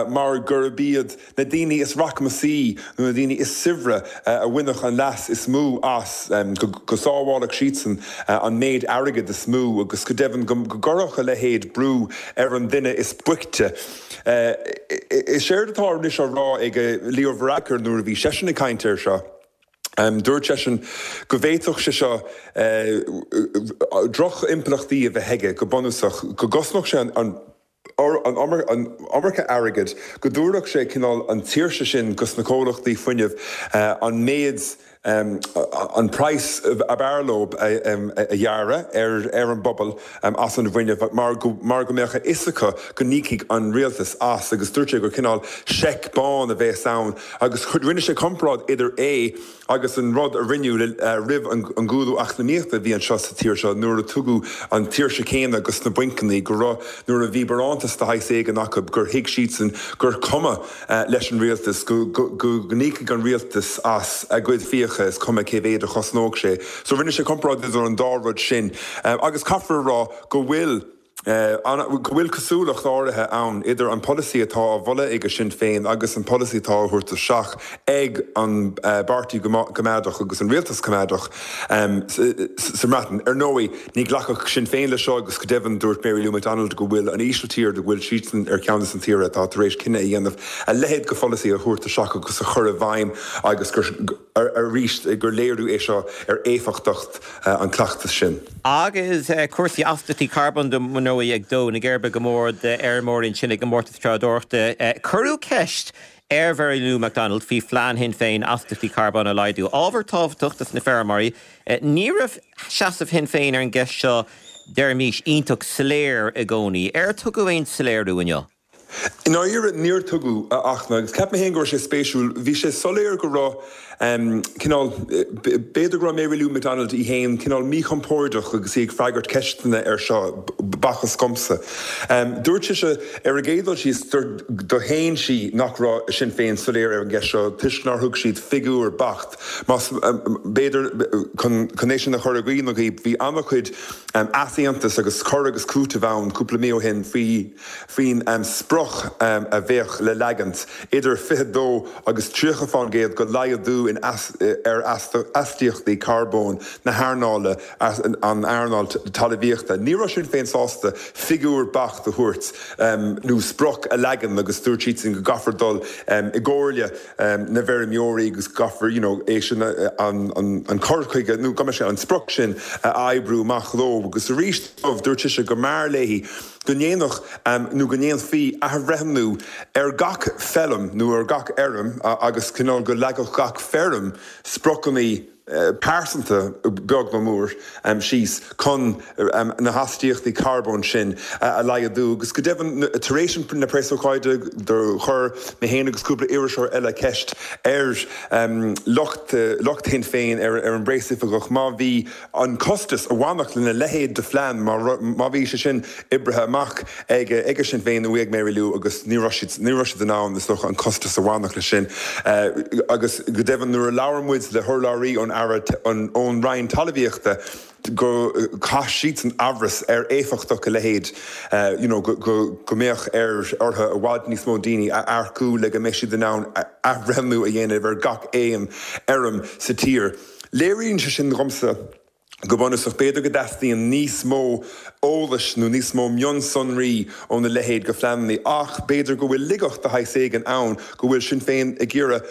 mar gurb iad na daoine is rachmasaí nó na daoine is saibhre a bhainfeadh an leas is mó as, go sábhálfadh siadsan an méid airgid is mó agus go deimhin go gcuirfeadh a leithéid brú ar an duine is boichte. Is éard atá anois á rá ag Leo Varadkar nuair a bhí seisean ag caint air seo, dúirt seisean go bhféadfadh sé seo droch-impleachtaí a bheith aige go bunúsach, go gcosnódh sé an an iomarca airgid, go dtabharfadh sé cineál an tsaoirse sin dos na comhlachtaí fuinnimh an méid, an praghas ab fhearr leo a ghearradh ar an bpobal as an bhfuinneamh mar go mar go mbeadh a fhios acu go n-íocfaidh an rialtas as agus dúirt sé gur cineál seic bán a bheas ann agus rinne sé comparáid idir é Agus an rud a rinneadh roimh an gcúlú eacnamaíochta a bhí anseo sa tír seo nuair a tugadh an tsaoirse céanna dos na bainceanna, go raibh, nuair a bhí barántas de shaghas éigin acu, gur thuig siadsan gur cuma leis an rialtas, go n-íocfaidh an rialtas as a gcuid fiacha, is cuma cé mhéad a chosnódh sé. So rinne sé comparáid idir an dá rud sin. Agus caithfear a rá go bhfuil. go bhfuil cosúlacht áirithe ann idir an polasaí atá á mholadh ag Sinn Féin agus an polasaí atá á thabhairt isteach ag an bPáirtí Coimeádach agus an rialtas Coimeádach sa mBreatain. Ar ndóigh, ní ghlacfadh Sinn Féin leis seo agus go deimhin dúirt Mary Lou McDonald go bhfuil an Ísiltír, go bhfuil siadsan ar cheann de na tíortha atá tar éis cinneadh a dhéanamh a leithéid de pholasaí a thabhairt isteach agus a chur i bhfeidhm agus gur, arís, gur léiriú é seo ar éifeachtacht an cleachtas sin. Agus cúrsaí astaíochtaí carbóin dar ndóigh ag dó na geirbe go mór d'fheirmeoirí ansin i gcomórtas treabhdóireachta. Cuireadh ceist. ar Mhary Lou McDonald faoi phlean Shinn Féin astaíochtaí carbóin a laghdú. Ábhar tábhachtach dos na feirmeoirí. Ní raibh seasamh Shinn Féin ar an gceist seo, deirimis, iontach soiléir i gcónaí. Ar tugadh aon soiléiriú inniu? I ndáiríre, níor tugadh, a Fhachtna, agus cheap mé féin go raibh sé spéisiúil. Bhí sé soiléir go raibh cineál, b'fhéidir go raibh Mary Lou McDonald í féin cineál míchompordach agus í ag freagairt ceisteanna air seo, b'fhacthas dhomsa. Dúirt sise, ar an gcéad dul síos, do shéan sí nach raibh Sinn Féin soiléir ar an gceist seo toisc nár thug siad figiúr beacht. Más, b'fhéidir, chun é sin a chur i gcuimhne dhaoibh, bhí an-chuid easaontas agus cur agus cúiteamh ann cúpla mí ó shin faoi, faoin sprioc a bheadh le leagaint, idir 22 agus 30 fán gcéad de laghdú in ar astaíochtaí carbóin na hearnála, an earnáil talmhaíochta. Ní raibh Sinn Féin sásta figiúr beacht a thabhairt nó sprioc a leagan agus dúirt siadsan go gcaithfear dul i gcomhairle na bhfeirmeoirí agus go gcaithfear you know é sin an cur chuige nó go mbeidh sé an sprioc sin a oibriú amach leo agus arís dúirt sise go mb'fhearr léi go ndéanfadh nó go ndéanfaí athbhreithniú ar gach feilm nó ar gach fheirm agus cineál go leagfadh gach feirm spriocanna pearsanta, beag nó mór, síos chun na hastaíochtaí carbóin sin a laghdú. Agus go deimhin, tar éis na preasócáide, do chuir mé féin agus cúpla iriseoir eile ceist ar lucht lucht Shinn Féin, ar an bpreasoifigeach, má bhí an costas a bhainfeadh lena leithéid de phlean, má bhí sé sin oibrithe amach ag ag Sinn Féin nó ag Mary Lou agus ní raibh siad, ní raibh siad in ann, is dócha, an costas a bhainfeadh leis sin. Agus go deimhin nuair a labhair muid le hurlabhraí ón Aire, ón Roinn Talmhaíochta, go chaith siadsan amhras ar éifeachtacht a leithéid, you know, go, go, go mbeadh ar, orthu i bhfad níos mó daoine a earcú le go mbeidh siad in ann athbhreithniú a dhéanamh ar gach aon fheirm sa tír. Léiríonn sé sin dhomsa, go bunúsach, b'fhéidir go dteastaíonn níos mó eolais nó níos mó mionsonraí óna leithéid de phleananna, ach b'fhéidir go bhfuil laigeacht de shaghas éigin ann, go bhfuil Sinn Féin ag iarraidh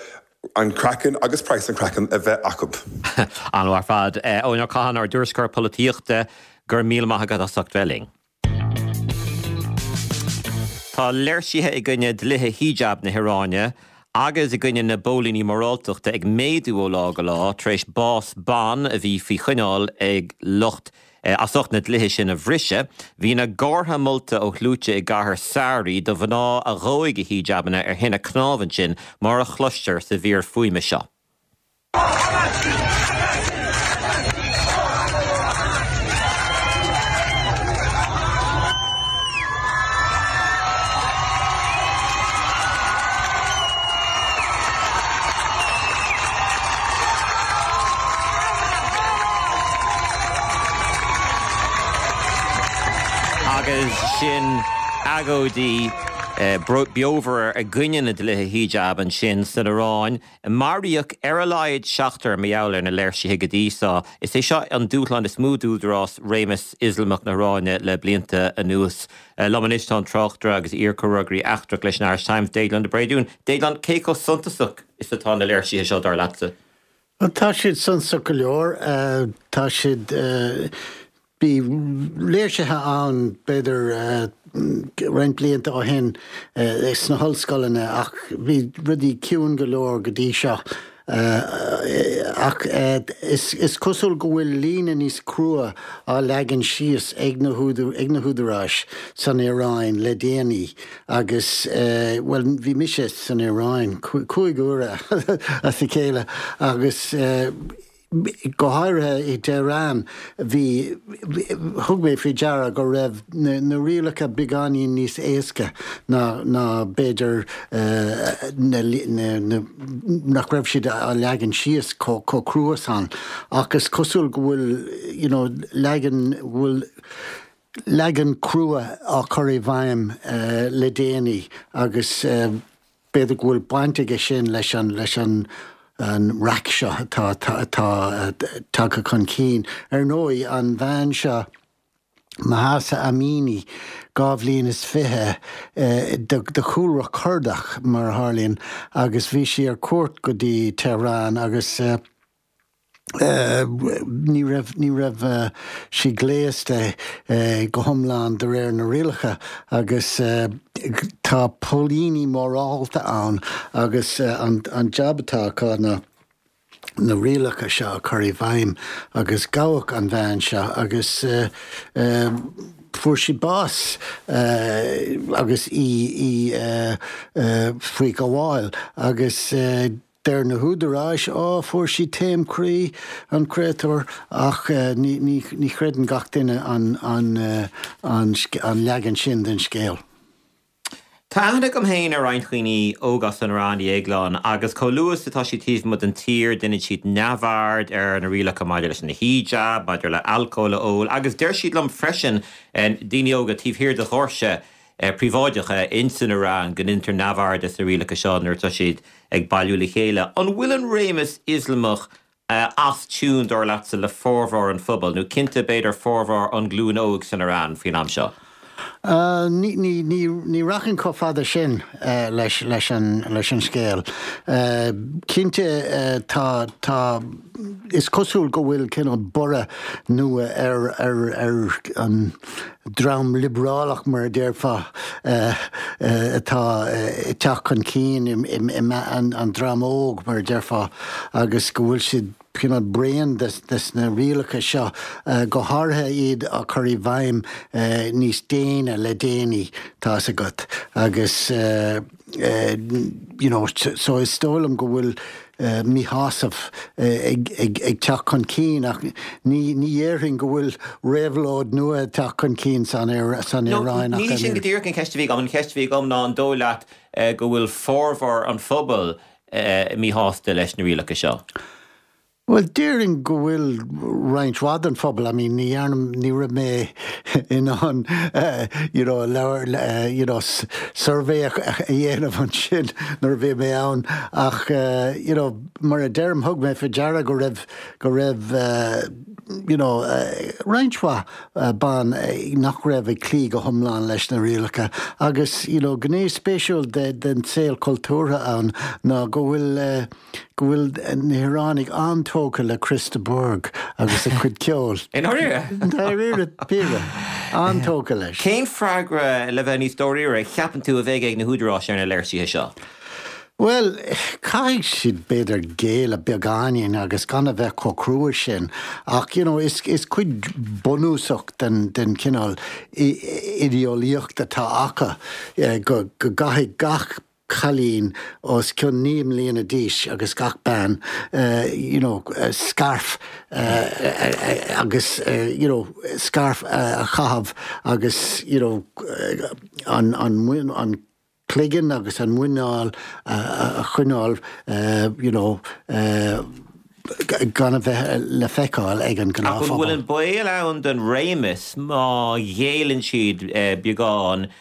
an craiceann agus praghas an chraicinn a bheith acu. An-mhaith ar fad. Eoin Ó Catháin, ár dtuairisceoir polaitíochta, go raibh míle maith agat as ucht bheith linn. Tá léirsithe i gcoinne dlíthe hijab na hIaráine agus i gcoinne na bpóilíní moráltachta ag méadú ó lá go lá tar éis bás ban a bhí faoi choinneáil ag lucht as ucht na dlíthe sin a bhriseadh. Bhí na gártha molta ó shluaite i gcathair Sari do mhná a dhóigh a hijabanna ar thine cnámh ansin, mar a chloistear sa mhír fuaime seo. Agus sin agóidí beomhara i gcoinne na dlíthe hijab ansin san Iaráin. Maraíodh ar a laghad seachtar mar gheall ar na léirsithe go dtí seo. Is é seo an dúshlán is mó d'údarás réimeas Ioslamach na hIaráine le blianta anuas. Liom anois tá an tráchtaire agus iar-chomhfhreagraí eachtrach leis an Irish Times, Déaglán de Bréadún. Déaglán, cé chomh suntasach is atá na léirsithe seo, dar leatsa? Bhuel, tá siad suntasach go leor. Tá siad. Bhí léirsithe ann b'fhéidir roinnt blianta ó shin sna hollscoileanna ach bhí rudaí ciúin go leor go dtí seo. Ach is cosúil go bhfuil líne níos crua á leagan síos ag na húdaráis san Iaráin le déanaí agus, bhuel, bhí mise san Iaráin 5 huaire as a chéile agus, Go háirithe i Tehran, bhí, thug mé faoi deara go raibh na rialacha beagáinín níos éasca ná, ná b'fhéidir na, na, nach raibh siad á leagan síos chomh, chomh crua san. Ach is cosúil go bhfuil, you know, leagan, bhfuil leagan crua á chur i bhfeidhm le déanaí agus, B'fhéidir go bhfuil baint aige sin leis an leis an an raic seo atá atá tagtha chun cinn. Ar ndóigh, an bhean seo, Mahsa Amini, 22 bhliain is de chúlra Cordach, mar a tharlaíonn, agus bhí sí ar cuairt go dtí Tehran agus, Ní raibh, ní raibh sí gléasta go hiomlán de réir na rialacha agus. Tá póilíní morálta ann agus an jab atá acu ná na rialacha seo a chur i bhfeidhm agus gabhadh an bhean seo agus fuair sí bás agus í faoi ghabháil agus Deir na húdaráis, Á, fuair sí taom croí, an créatúr, ach ní chreideann gach duine an leagan sin den scéal. Tá aithne agam féin ar roinnt dhaoine óga as an Iaráin, a Dhéagláin, agus chomh luath is atá siad taobh amuigh den tír, déanann siad neamhaird ar na rialacha maidir leis an hijab, maidir le alcól a ól, agus deir siad liom freisin, daoine óga taobh thiar de dhoirse, príobháideacha ins an Iaráin go ndeintear neamhaird des na rialacha seo nuair atá siad ag bailiú le chéile. An bhfuil an réimeas Ioslamach as tiún, dar leatsa, le formhór an phobail, nó cinnte b'fhéidir formhór an ghlúin óig san Iaráin faoin am seo? Ní rachainn chomh fada sin leis an scéal. Cinnte tá, tá, is cosúil go bhfuil cineál borradh nua ar an dream liobrálach, mar a déarfá, atá ag teacht chun cinn i measc an dream óg, mar a déarfá, agus go bhfuil siad cineál bréan des na rialacha seo, go háirithe iad á cur i bhfeidhm níos déine le déanaí, tá's agat, agus you know, so is dóigh liom go bhfuil míshásamh ag teacht chun cinn ach ní dhéarfainn go bhfuil réabhlóid nua ag teacht chun cinn san Iaráin ach. Ní sin go díreach an cheist a bhí agam. An cheist a bhí agam ná an dóigh leat go bhfuil formhór an phobail míshásta leis na rialacha seo? Bhuel, déarfainn go bhfuil roinnt mhaith den phobal, I mean, ní dhearna, ní raibh mé in ann you know, leabhar, you know, suirbhé a dhéanamh ansin nuair a bhí mé ann ach you know, mar a deirim, thug mé faoi deara go raibh, go raibh you know, roinnt mhaith ban nach raibh ag cloí go hiomlán leis na rialacha agus you know, gné spéisiúil den saol cultúrtha ann ná go bhfuil go bhfuil na hIoránaigh an-tógtha le Chris de Burgh agus a chuid ceoil. I ndáiríre? Dáiríre píre. An-tógtha leis. Cén freagra, le bheith níos dáiríre, a cheapann tú a bheidh ag na húdaráis ar na léirsithe seo? Bhuel, caithfidh siad b'fhéidir géilleadh beagáinín agus gan a bheith chomh crua sin ach you know is is cuid bunúsach den den chineál idéeolaíocht atá acu go go gcaithfidh gach cailín os cionn 9 mbliana d'aois agus gach bean you know scairf agus you know scairf a chaitheamh agus you know an an an cloigeann agus an muineál a choinneáil you know gan a bheith le feiceáil ag an Ach an bhfuil gnáthphobal. an baol ann don réimeas má ghéilleann siad beagán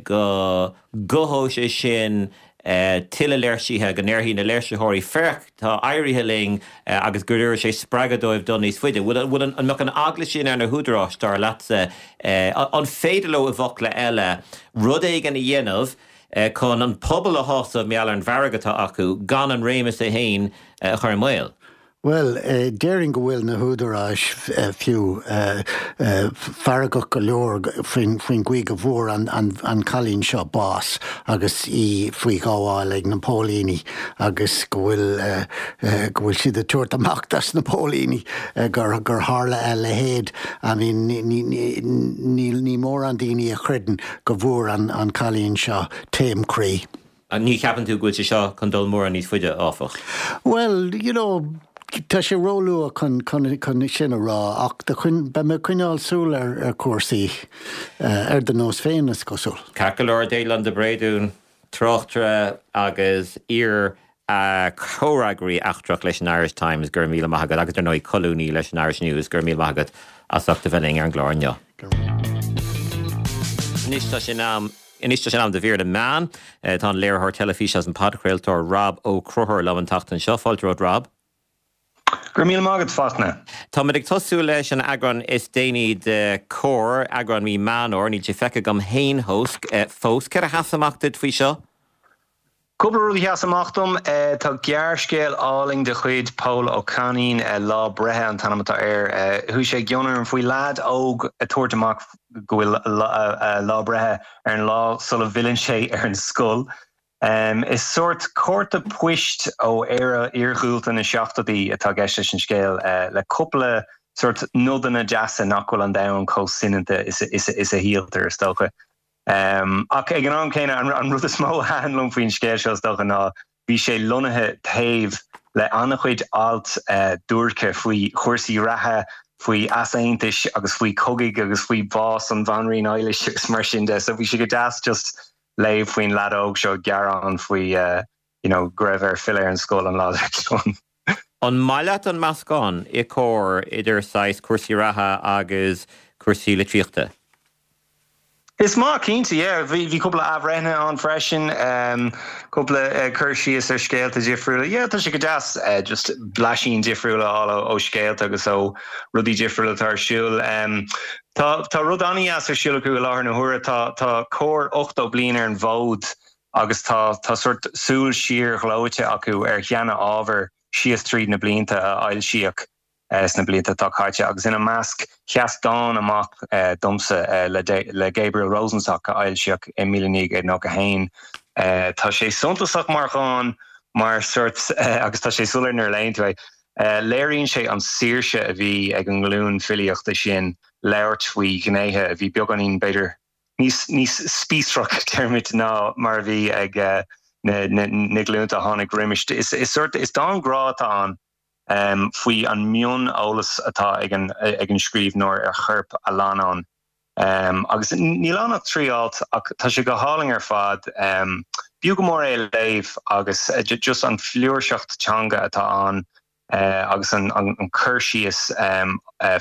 go gcothóidh sé sin tuilleadh léirsithe, go ndéarfaidh na léirsitheoirí, 'Féach, tá éirithe linn' agus go dtabharfaidh sé spreagadh dóibh dul níos faide. Bhfuil, bhfuil an, an mbeadh an eagla sin ar na húdaráis, dar leatsa? An féidir leo, i bhfocla eile, rud éigin a dhéanamh chun an pobal a shásamh mar gheall ar an bhfearg atá acu, gan an réimeas é féin a chur i mbaol? Bhuel, déarfainn go bhfuil na húdaráis fiú feargach go leor faoin gcaoi go bhfuair an cailín seo bás agus í faoi ghabháil ag na póilíní agus go bhfuil go bhfuil siad ag tabhairt amach dos na póilíní gur tharla a leithéid. I mean, ní mórán daoine a chreideann go bhfuair an cailín seo taom croí. Ní cheapann tú go bhfuil sé seo chun dul mórán níos faide, áfach? Bhuel, you know, tá sé róluath chun, chun, chun sin a rá, ach do choinn, beidh mé ag coinneáil súil ar, ar chúrsaí, ar do nós féin, is cosúil. Ceart go leor, Déaglán de Bréadún, tráchtaire agus iar chomhfhreagraí eachtrach leis an Irish Times, go raibh míle maith agat, agus ar ndóigh colúnaí leis an Irish News, go raibh míle maith agat as ucht a bheith linn ar an gclár inniu. Anois tá sé in am. Anois tá sé in am do mhír na meán. Tá an léiritheoir teilifíse agus an podchraoltóir Rob Ó Conchúir liom an tseachtain seo. Fáilte romhat Rob. Go raibh míle maith agat, Fachtna. Táimid ag tosú leis an eagrán is déanaí de Comhar, eagrán mí Meán Fhómhair. Níl sé feicthe agam féin fós. Céard a sheas amach duit faoi seo? Cúpla rud a sheas amach dom. Tá gearrscéal álainn de chuid Pól Ó Cainín, Lá Breithe an t-ainm atá air. Chuaigh sé i gcion orm faoi leaid óg ag tabhairt amach go bhfuil a lá breithe ar an lá sula bhfilleann sé ar an scoil. Is sórt cárta poist ó Éire iarghúlta na seachtóidí atá i gceist leis an scéal, le cúpla sórt nodanna deasa nach bhfuil an domhan chomh soineanta is a shíltear, is dócha. Ach ag an am céanna, an rud is mó a thaitin liom faoin scéal seo, is dócha, ná bhí sé lonnaithe taobh le an-chuid alt duairce faoi chúrsaí reatha, faoi easaontais agus faoi chogaidh agus faoi bhás an Bhanríon Eilís agus mar sin de. So bhí sé go deas just léamh faoin leaid óg seo ag gearán faoi you know go raibh air filleadh ar an scoil an lá dár gcionn. An maith leat an meascán i Comhar idir saghas cúrsaí reatha agus cúrsaí litríochta? Is maith, cinnte, yeah. Bhí bhí cúpla athbhreithnithe ann freisin, cúpla cur síos ar scéalta difriúla. Yeah, tá sé go deas just blaisín difriúil a fháil ó scéalta agus ó rudaí difriúla atá ar siúl. Tá tá rud an-dheas ar siúl acu i láthair na huaire. Tá tá Comhar 80 bliain ar an bhfód agus tá tá sórt súil siar ghleoite acu ar sheana-ábhar síos tríd na blianta a fhoilsíodh. sna blianta atá caite agus ina measc sheas dán amach domsa le Gabriel Rosenstock a fhoilsíodh i 1991. Tá sé suntasach mar dhán mar sórt agus tá sé soiléir nuair a léann tú é. Léiríonn sé an saoirse a bhí ag an nglúin filíochta sin labhairt faoi ghnéithe a bhí beagáinín b'fhéidir níos níos spíosrach déarfaimid ná mar a bhí ag na glúnta a tháinig roimis. Is sórt is dán grá atá ann. faoi an mioneolas atá ag an ag an scríbhneoir ar chorp a leannáin. Agus níl ann ach 3 alt ach tá sé go hálainn ar fad. B'fhiú go mór é a léamh agus just an fliúirseacht teanga atá ann agus an cur síos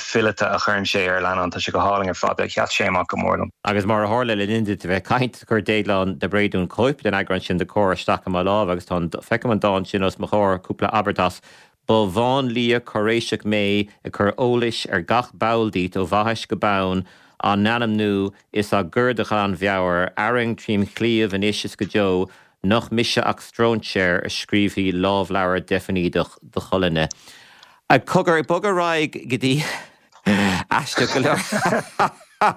fileata a chuireann sé ar a leannán, tá sé go hálainn ar fad. Sheas sé amach go mór liom. Agus mar a tharla le linn duit a bheith ag caint, chuir Déaglán de Bréadún cóip den eagrán sin de Comhar isteach i mo lámh agus tá an, feicim an dán sin os mo chomhair, cúpla abairt as, Ba mháinlia cáiréiseach mé ag cur eolais ar gach ball díot ó bhaithis go bonn, á n-ainmniú is á gcur de ghlanmheabhair, arraing trím chliabh anois is go deo, Nach mise ach stróinséir a scríobhfaidh lámhleabhar deifnídeach do cholainne. Cogar, ag bogadh ar aghaidh go dtí aisteach go leor. Tá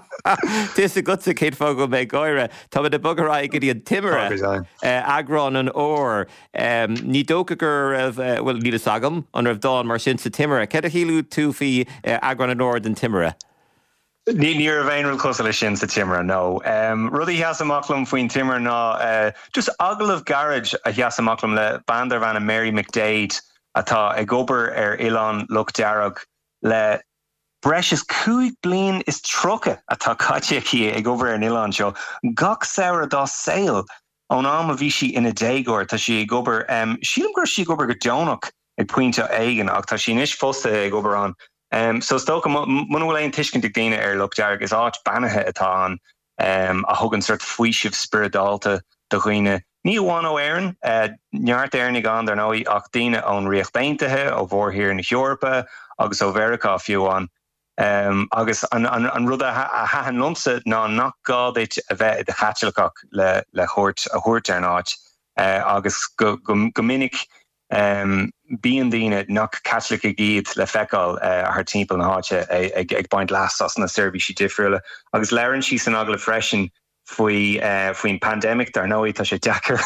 fhios agatsa cén fáth go bhfuil mé ag gáire. Táimid ag bogadh ar aghaidh go dtí an Timire, eagrán an Fhómhair. Ní dócha go raibh, bhuel, níl fhios agam an raibh dán mar sin sa Timire. Céard a shíl tú faoi eagrán an Fhómhair den Timire? Ní raibh aon rud cosúil leis sin sa Timire, no. Rud a sheas amach liom faoin Timire ná just agallamh gairid a sheas amach liom le bean darbh ainm Mary McDaid atá ag obair ar Oileán Loch Dearg le breis is 25 bliain atá caite aici ag obair ar an oileán seo gach samhradh dá saol. Ón am a bhí sí ina déagóir tá sí ag obair, sílim go raibh sí ag obair go deonach ag pointe éigin ach tá sí anois fostaithe ag obair ann. So is dócha, muna bhfuil aon tuiscint ag daoine ar Loch Dearg, is áit beannaithe atá ann a thugann sórt faoiseamh spioradálta do dhaoine, ní amháin ó Éirinn, neart Éireannaigh ann dar ndóigh, ach daoine ón Ríocht Aontaithe, ó mhórthír na hEorpa agus ó Mheiriceá fiú amháin. Agus an rud a thaitin liomsa ná nach gá duit a bheith i do Chaitliceach le cuairt a thabhairt ar an áit agus go minic bíonn daoine nach Caitlicigh iad le feiceáil thar timpeall na háite ag baint leas as na seirbhísí difriúla. Agus labhrann sí san agallamh freisin faoi faoin pandemic, dar ndóigh tá sé deacair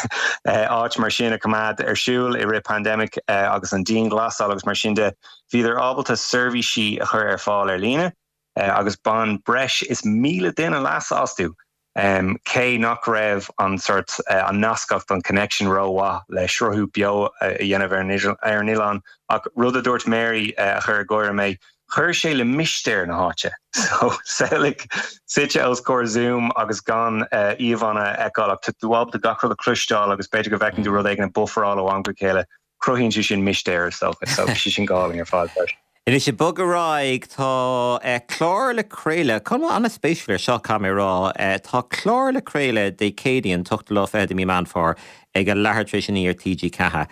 áit mar sin a choimeád ar siúl i rith pandemic agus an dianghlasáil agus mar sin de. Bhíodar ábalta seirbhísí a chur ar fáil ar líne agus bhain breis is 1,000 duine leas astu, cé nach raibh an sort an nascacht, an connection rómhaith le sruthú beo a dhéanamh ar an oileán. Ach rud a dúirt Mary a chuir ag gáire mé, Chuir sé le mistéir na háite. So, samhlaigh suite os comhair Zoom agus gan íomhánna a fheiceáil ach tá tú ábalta gach rud a chloisteáil agus b'fhéidir go bhfeiceann tú rud éigin ag bufferáil ó am go chéile. Cruthaíonn sé sin mistéir, is dócha. So, bhí sé sin go hálainn ar fad freisin. Anois, ag bogadh ar aghaidh, tá clár le craoladh, cuma an-spéisiúil air seo, caithfidh mé a rá. Tá clár le craoladh Dé Céadaoin, an t-ochtú lá fichead de mí Meán Fómhair, ag a leathuair tar éis a naoi ar TG4.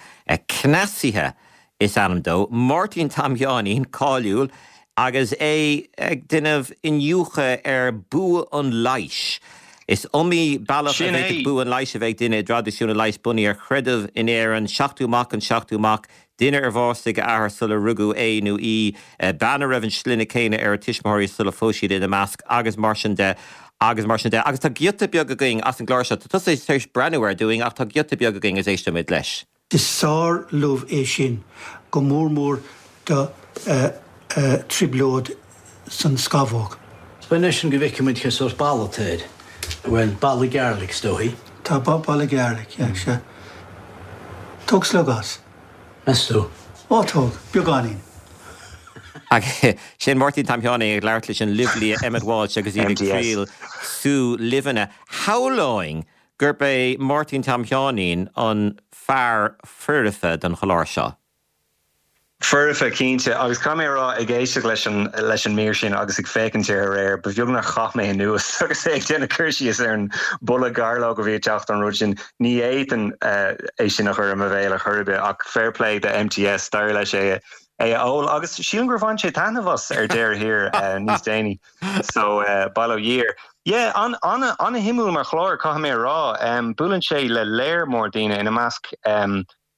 Cneasaithe is ainm dó, Máirtín Tom Sheáinín, cáiliúil, agus é ag déanamh iniúchadh ar bua an leighis. Is iomaí bealach a Sin bhféadfadh é. bua an leighis a bheith ag duine i dtraidisiún an leighis bunaithe ar chreideamh in Éirinn, seachtú mac an seachtú mac, duine ar bhásaigh a athair sular rugadh é nó í, bean a raibh an sloinne céanna ar a tuismitheoirí sula phós siad ina measc, agus mar sin de, agus mar sin de. Agus tá giota beag againn as an gclár seo. Tá tusa tar éis breathnú air dúinn ach tá giota beag againn agus éistfimid leis. Is sár-luibh é sin, go mór mór do trioblóid san scamhóg. B'in é sin go bhfeicfidh muid cé sórt boladh atá air. Bhuel, boladh garlic is dóichí. Tá boladh garlic, yeah, sea. Tóg slog as. Meas tú? Ó, tóg, beagáinín. Agus sin Máirtín Tom Sheáinín ag labhairt leis an luibhlia Emmet Walsh agus iad ag triail sú luibheanna. Shamhlóinn gurb é Máirtín Tom Sheáinín an fear foirfe don chlár seo. Foirfe, cinnte. Agus caithfidh mé a rá, ag éisteacht leis an leis an mír sin agus ag féachaint air aréir, ba bheag nár chaith mé anuas agus é ag déanamh cur síos ar an boladh gairleog a bhí ag teacht ón rud sin. Ní fhéadfainn é sin a chur i mo bhéal ar chor ar bith, ach fair play do MTS, d'éirigh leis é é a ól agus sílim gur bhain sé taitneamh as ar deireadh thiar níos déanaí. So, bail ó Dhia air. Yeah, an, an, an-shuimiúil mar chlár, caithfidh mé a rá. Buaileann sé le léar mór daoine, ina measc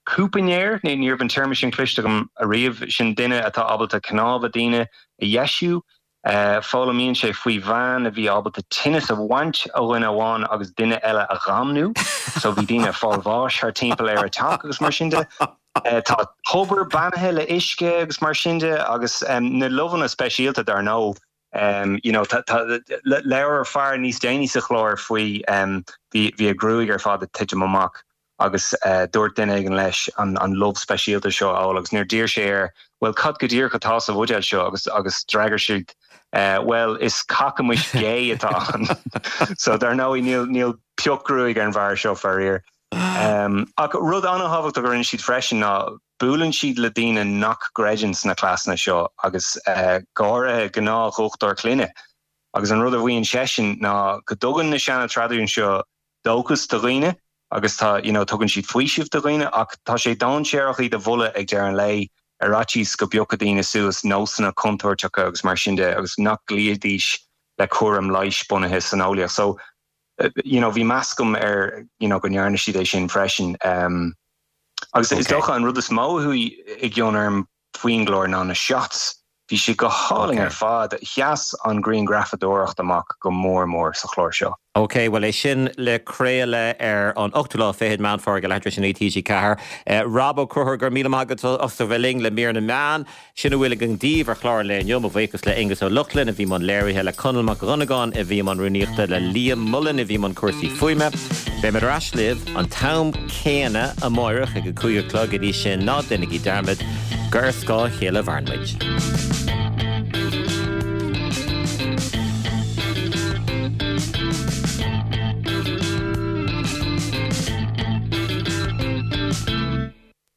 cúpainéir, ní, ní raibh an téarma sin cloiste agam ariamh, sin duine atá ábalta cnámha daoine a dheisiú. Foghlaimíonn sé faoi bhean a bhí ábalta tinneas a bhaint ó dhuine amháin agus duine eile a dhamnú. So bhí daoine ag fáil bháis thar timpeall ar a teach agus mar sin de. Tá tobar beannaithe le uisce agus mar sin de agus na luibheanna speisialta dar ndóigh. You know, tá, tá, labhair fear níos déanaí sa chlár faoi bhí, bhí a ghruaig ar fad ag titim amach agus dúirt duine éigin leis an, an luibh speisialta seo a ól agus nuair d'iarr sé air, bhuel cad go díreach atá sa bhuidéal seo agus, agus d'fhreagair siad bhuel is cacamais gé atá ann. So dar ndóigh níl, níl pioc gruaig ar an bhfear seo faraor. Ach rud an-thábhachtach a rinne siad freisin ná buaileann siad le daoine nach gcreideann sna cleasanna seo agus go háirithe gnáthdhochtúir clainne. Agus an rud a mhaíonn seisean ná go dtugann na seana-traidisiúin seo dóchas do dhaoine agus tá, you know, tugann siad faoiseamh do dhaoine ach tá sé dainséarach iad a mholadh ag deireadh an lae ar fhaitíos go bpiocfadh daoine suas nósanna contúirteacha agus mar sin de agus nach gcloífidís le cúram leighis bunaithe san eolaíocht. So, you know, bhí meas agam ar, you know, go ndearna siad é sin freisin. Um, agus is dócha an rud is mó a chuaigh i gcion orm faoin gclár ná na shots. Bhí siad go hálainn ar fad. Sheas an ghrianghrafadóireacht amach go mór mór sa chlár seo. Ok, bhuel é sin le craoladh ar an ochtú lá fichead Meán Fómhair ag a leathuair tar éis a 9 TG4. Rob Ó Conchúir, go raibh míle maith agat as a bheith linn le mír na meán. Sin a bhfuil againn daoibh ar chlár an lae inniu. Mo bhuíochas le Aonghus Ó Lochlainn a bhí i mbun léirithe, le Conall Mac Dhonnagáin a bhí i mbun rúnaíochta, le Liam Mullen a bhí i mbun cúrsaí fuaime. Beimid ar ais libh an t-am céanna amáireach ag a 5 a chlog. Go dtí sin, ná déanaigí dearmad gur ar scáth a chéile a mhaireann muid.